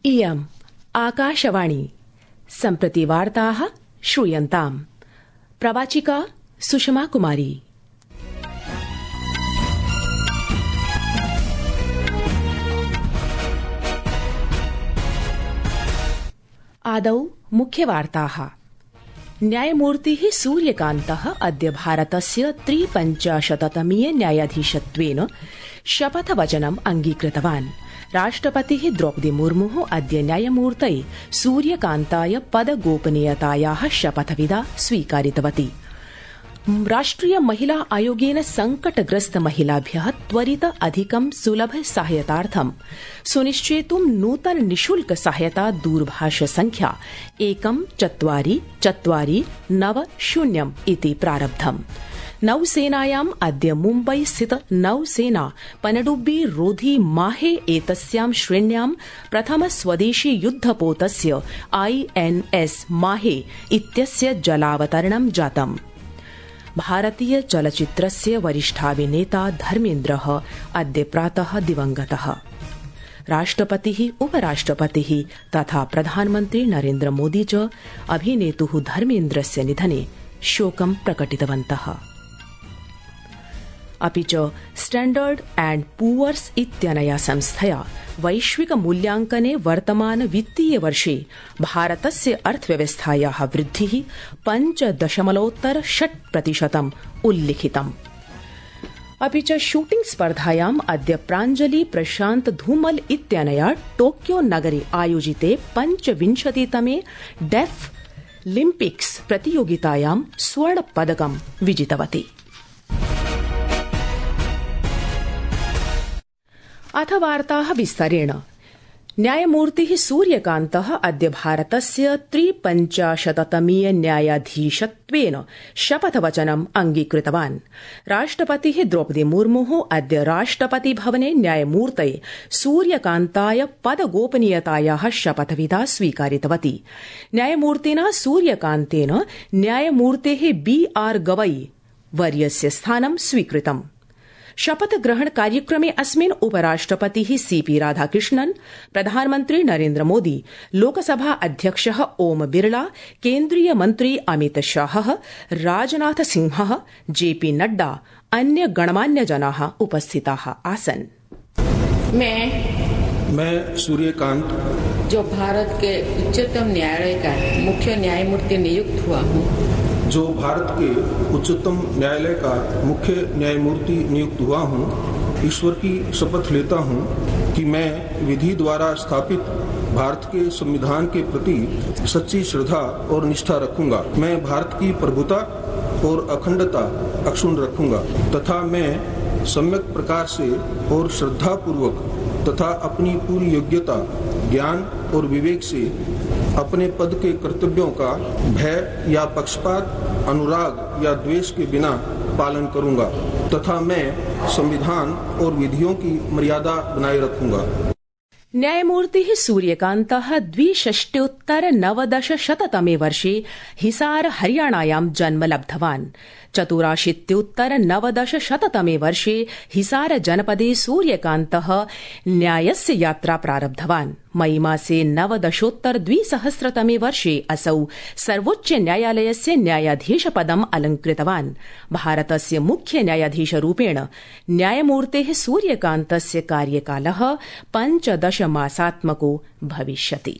इयम् आकाशवाणी सम्प्रति वार्ताः श्रूयन्ताम्। प्रवाचिका सुषमा कुमारी। आदौ मुख्यवार्ताः। न्यायमूर्तिः सूर्यकान्तः अद्य भारतस्य 53तमीय न्यायाधीशत्वेन शपथवचनम् अंगीकृतवान्। राष्ट्रपतिः द्रौपदी मुर्मुः अद्य न्यायमूर्तये सूर्यकान्ताय पदगोपनीयतायाः शपथविधा स्वीकारितवती। राष्ट्रिय महिला आयोगेन संकटग्रस्त महिलाभ्यः त्वरित अधिकं सुलभ सहायतार्थं सुनिश्चेतुं नूतन निशुल्क सहायता दूरभाष संख्या 144490 इति प्रारब्धम्। नौसेनायाम् अद्य मुम्बई स्थित नौसेना पनडुब्बी रोधी माहे एतस्यां श्रेण्यां प्रथम स्वदेशी युद्धपोतस्य INS माहे इत्यस्य जलावतरणं जातम्। भारतीय चलच्चित्रस्य वरिष्ठाभिनेता धर्मेन्द्रः अद्य प्रातः दिवंगतः। राष्ट्रपतिः, उपराष्ट्रपतिः तथा प्रधानमन्त्री नरेन्द्र मोदी च अभिनेतुः धर्मेन्द्रस्य निधने शोकं प्रकटितवन्तः। अपि च स्टैण्डर्ड एण्ड पुअर्स इत्यनया संस्थया वैश्विक मूल्यांकने वर्तमान वित्तीय वर्षे भारतस्य अर्थव्यवस्थायाः वृद्धिः 5.6% उल्लिखितम्। अपि च शूटिंग स्पर्धायाम् अद्य प्राञ्जलि प्रशान्त धूमल इत्यनया टोक्यो नगरे आयोजिते 25तमे डेफ लिम्पिक्स प्रतियोगितायां स्वर्णपदकं विजितवती। अथ वार्ताः विस्तरेण। न्यायमूर्तिः सूर्यकान्तः अद्य भारतस्य 53तमीय न्यायाधीशत्वेन शपथवचनम् अंगीकृतवान्। राष्ट्रपतिः द्रौपदी मुर्मुः अद्य राष्ट्रपति भवने न्यायमूर्तये सूर्यकान्ताय पदगोपनीयतायाः शपथविधा स्वीकारितवती। न्यायमूर्तिना सूर्यकान्तेन न्यायमूर्तेः BR गवई वर्यस्य स्थानं स्वीकृतम्। शपथग्रहण कार्यक्रमे अस्मिन् उपराष्ट्रपतिः CP राधाकृष्णन्, प्रधानमन्त्री नरेन्द्र मोदी, लोकसभा अध्यक्षः ओम बिरला, केन्द्रीय मन्त्री अमित शाहः, राजनाथ सिंहः, JP नड्डा, अन्य गणमान्य जनाः उपस्थिताः आसन्। मैं सूर्यकांत, जो भारत के उच्चतम न्यायालय का मुख्य न्यायमूर्ति नियुक्त हुआ हूँ, जो भारत के उच्चतम न्यायालय का मुख्य न्यायमूर्ति नियुक्त हुआ हूँ, ईश्वर की शपथ लेता हूँ कि मैं विधि द्वारा स्थापित भारत के संविधान के प्रति सच्ची श्रद्धा और निष्ठा रखूंगा। मैं भारत की प्रभुता और अखंडता अक्षुण्ण रखूंगा तथा मैं सम्यक प्रकार से और श्रद्धा पूर्वक तथा अपनी पूरी योग्यता, ज्ञान और विवेक से अपने पद के कर्तव्यों का भय या पक्षपात, अनुराग या द्वेष के बिना पालन करूंगा तथा मैं संविधान और विधियों की मर्यादा बनाए रखूंगा। न्यायमूर्तिः सूर्यकान्तः 62उत्तर-90तमे वर्षे हिसार हरियाणायां जन्म लब्धवान्। 84उत्तर-90तमे वर्षे हिसार जनपदे सूर्यकान्तः न्यायस्य यात्रा प्रारब्धवान्। मई मासे 19-20तमे वर्षे असौ सर्वोच्च न्यायालयस्य न्यायाधीशपदम् अलंकृतवान्। भारतस्य मुख्य न्यायाधीशरूपेण न्यायमूर्तेः सूर्यकान्तस्य कार्यकालः 15 मासात्मको भविष्यति।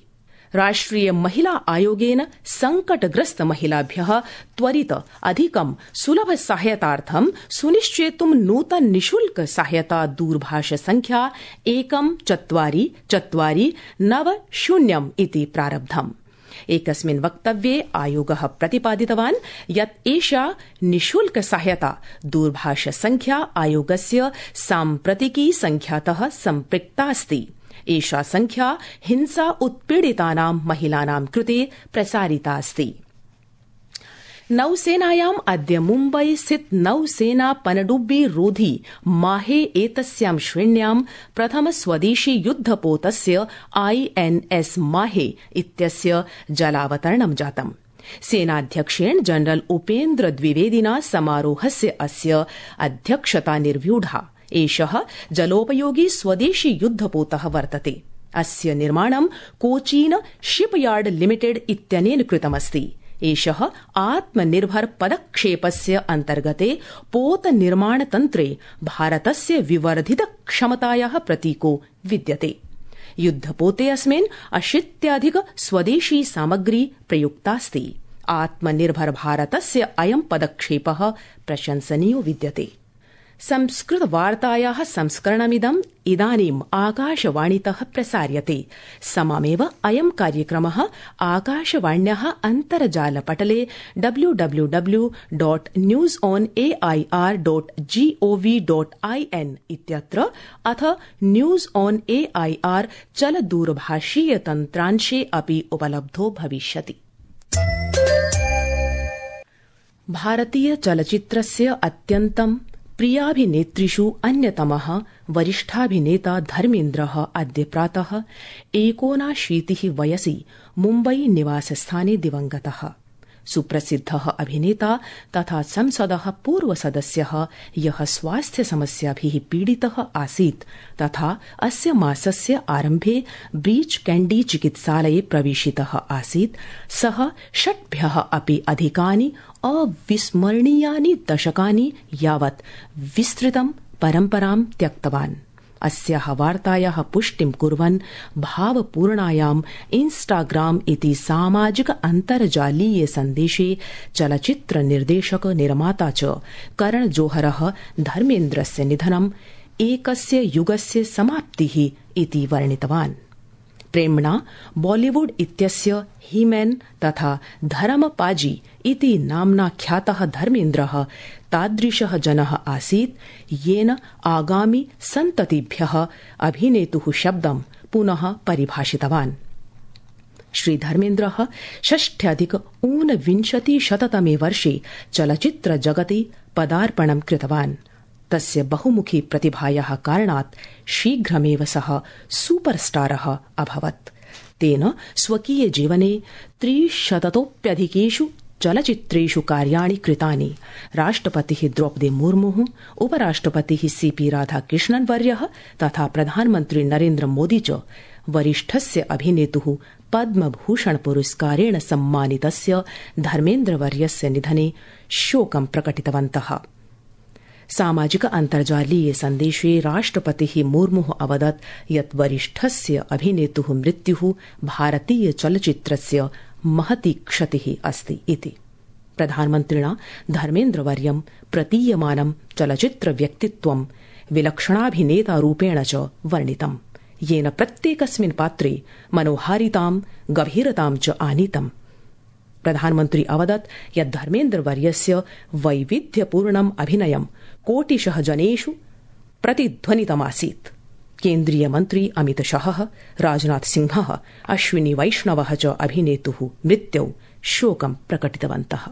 राष्ट्रिय महिला आयोगेन संकटग्रस्त महिलाभ्यः त्वरित अधिकं सुलभ सहायतार्थं सुनिश्चेतुं नूतन निशुल्क सहायता दूरभाष संख्या 144490 इति प्रारब्धम्। एकस्मिन् वक्तव्ये आयोगः प्रतिपादितवान् यत् एषा निशुल्क सहायता दूरभाष संख्या आयोगस्य साम्प्रतिकी संख्यातः सम्पृक्ता अस्ति। एषा संख्या हिंसा उत्पीडितानां महिलानां कृते प्रसारिता अस्ति। नौसेनायाम् अद्य मुम्बई स्थित नौसेना पनडुब्बी रोधी माहे एतस्यां श्रेण्यां प्रथम स्वदेशी युद्धपोतस्य INS माहे इत्यस्य जलावतरणं जातम्। सेनाध्यक्षेण जनरल उपेन्द्र द्विवेदिना समारोहस्य अस्य अध्यक्षता निर्व्यूढा। एषः जलोपयोगी स्वदेशी युद्धपोतः वर्तते। अस्य निर्माणं कोचीन शिपयार्ड लिमिटेड इत्यनेन कृतमस्ति। एषः आत्मनिर्भर पदक्षेपस्य अन्तर्गते पोत निर्माण तन्त्रे भारतस्य विवर्धित क्षमतायाः प्रतीको विद्यते। युद्धपोते अस्मिन् 80+ स्वदेशी सामग्री प्रयुक्तास्ति। आत्मनिर्भर भारतस्य अयं पदक्षेपः प्रशंसनीयो विद्यते। संस्कृत वार्तायाः संस्करणमिदम् इदानीम् आकाशवाणीतः प्रसार्यते। सममेव अयं कार्यक्रमः आकाशवाण्याः अन्तर्जालपटले www.newsonair.gov.in इत्यत्र अथ न्यूज ऑन एआईआर चलदूरभाषीय तन्त्रांशे अपि उपलब्धो भविष्यति। भारतीय चलचित्रस्य अत्यन्तं प्रियाभिनेत्रीषु अन्यतमः वरिष्ठाभिनेता धर्मेन्द्रः अद्य प्रातः 79 वयसि मुम्बई निवासस्थाने दिवंगतः। सुप्रसिद्धः अभिनेता तथा संसदः पूर्वसदस्यः यः स्वास्थ्य समस्याभिः पीडितः आसीत् तथा अस्य मासस्य आरम्भे ब्रीच कैंडी चिकित्सालये प्रवेशितः आसीत्, सः 6 अपि अधिकानि अविस्मरणीयानि दशकानि यावत् विस्तृतं परम्परां त्यक्तवान्। अस्याः वार्तायाः पुष्टिं कुर्वन् भावपूर्णायाम् इंस्टाग्राम इति सामाजिक अन्तर्जालीय सन्देशे चलचित्र निर्देशक निर्माता च करण जोहरः धर्मेन्द्रस्य निधनम् एकस्य युगस्य समाप्तिः इति वर्णितवान्। प्रेम्णा बॉलीवुड इत्यस्य हीमैन तथा धरमपाजी इति नाम्ना ख्यातः धर्मेन्द्रः तादृशः जनः आसीत् येन आगामि सन्ततिभ्यः अभिनेतुः शब्दं पुनः परिभाषितवान्। श्री धर्मेन्द्रः 6+19 वर्षे चलचित्र जगति पदार्पणं कृतवान्। तस्य बहुमुखी प्रतिभायाः कारणात् शीघ्रमेव सः सुपरस्टारः अभवत्। तेन स्वकीय जीवने 300तोऽप्यधिकेषु चलचित्रेषु कार्याणि कृतानि। राष्ट्रपतिः द्रौपदी मुर्मुः, उपराष्ट्रपतिः सीपी राधाकृष्णन् वर्यः तथा प्रधानमन्त्री नरेन्द्र मोदी च वरिष्ठस्य अभिनेतुः पद्मभूषण पुरस्कारेण सम्मानितस्य धर्मेन्द्रवर्यस्य निधने शोकं प्रकटितवन्तः। सामाजिक अन्तर्जालीय सन्देशे राष्ट्रपतिः मुर्मुः अवदत् यत् वरिष्ठस्य अभिनेतुः मृत्युः भारतीय चलचित्रस्य महती क्षतिः अस्ति इति। प्रधानमन्त्रिणा धर्मेन्द्रवर्यं प्रतीयमानं चलचित्र व्यक्तित्वं विलक्षणाभिनेतारूपेण च वर्णितम्, येन प्रत्येकस्मिन् पात्रे मनोहारितां गभीरतां च आनीतम्। प्रधानमन्त्री अवदत् यत् धर्मेन्द्रवर्यस्य वैविध्यपूर्णम् अभिनयं कोटिशः जनेषु प्रतिध्वनितमासीत्। केन्द्रीय मन्त्री अमित शाहः, राजनाथ सिंहः, अश्विनी वैष्णवः च अभिनेतुः मृत्युौ शोकं प्रकटितवन्तः।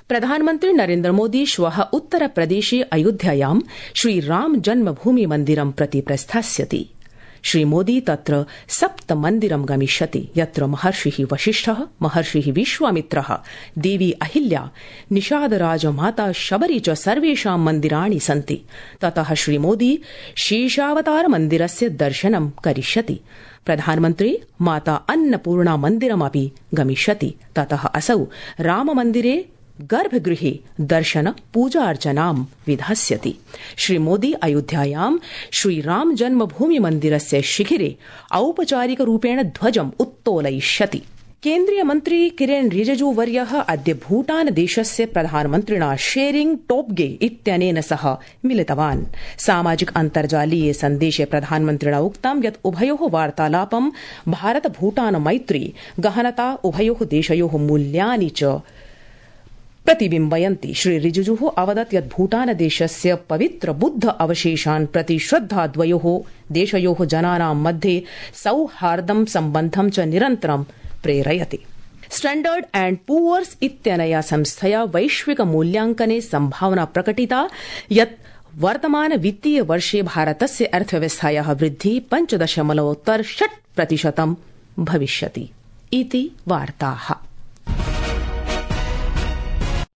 प्रधानमन्त्री नरेन्द्र मोदी श्वः उत्तरप्रदेशे अयोध्यायां श्रीराम जन्मभूमि मन्दिरं प्रति प्रस्थास्यति। श्री मोदी तत्र 7 मन्दिरं गमिष्यति, यत्र महर्षिः वसिष्ठः, महर्षिः विश्वामित्रः, देवी अहिल्या, निषादराज माता शबरी च सर्वेषां मन्दिराणि सन्ति। ततः श्री मोदी शेषावतार मन्दिरस्य दर्शनं करिष्यति। प्रधानमन्त्री माता अन्नपूर्णा मन्दिरमपि गमिष्यति। ततः असौ राममन्दिरे गर्भगृहे दर्शन पूजार्चनां विधास्यति। श्री मोदी अयोध्यायां श्रीराम जन्मभूमि मन्दिरस्य शिखिरे औपचारिकरूपेण ध्वजम् उत्तोलयिष्यति। केन्द्रीय मन्त्री किरेन रिजिजू वर्यः अद्य भूटान देशस्य प्रधानमन्त्रिणा शेरिंग टोब्गे इत्यनेन सह मिलितवान्। सामाजिक अन्तर्जालीय सन्देशे प्रधानमन्त्रिणा उक्तं यत् उभयोः वार्तालापं भारत भूटान मैत्री, गहनता, उभयोः देशयोः मूल्यानि च प्रतिबिम्बयन्ति। श्री रिजिजू अवदत् यत् भूटान देशस्य पवित्र बुद्ध अवशेषान् प्रति श्रद्धा द्वयोः देशयोः जनानां मध्ये सौहार्दं सम्बन्धं च निरन्तरं प्रेरयति। स्टैण्डर्ड एण्ड पुअर्स इत्यनया संस्थया वैश्विक मूल्यांकने संभावना प्रकटिता यत् वर्तमान वित्तीय वर्षे भारतस्य अर्थव्यवस्थायाः वृद्धिः 5.6% भविष्यति इति वार्ताः।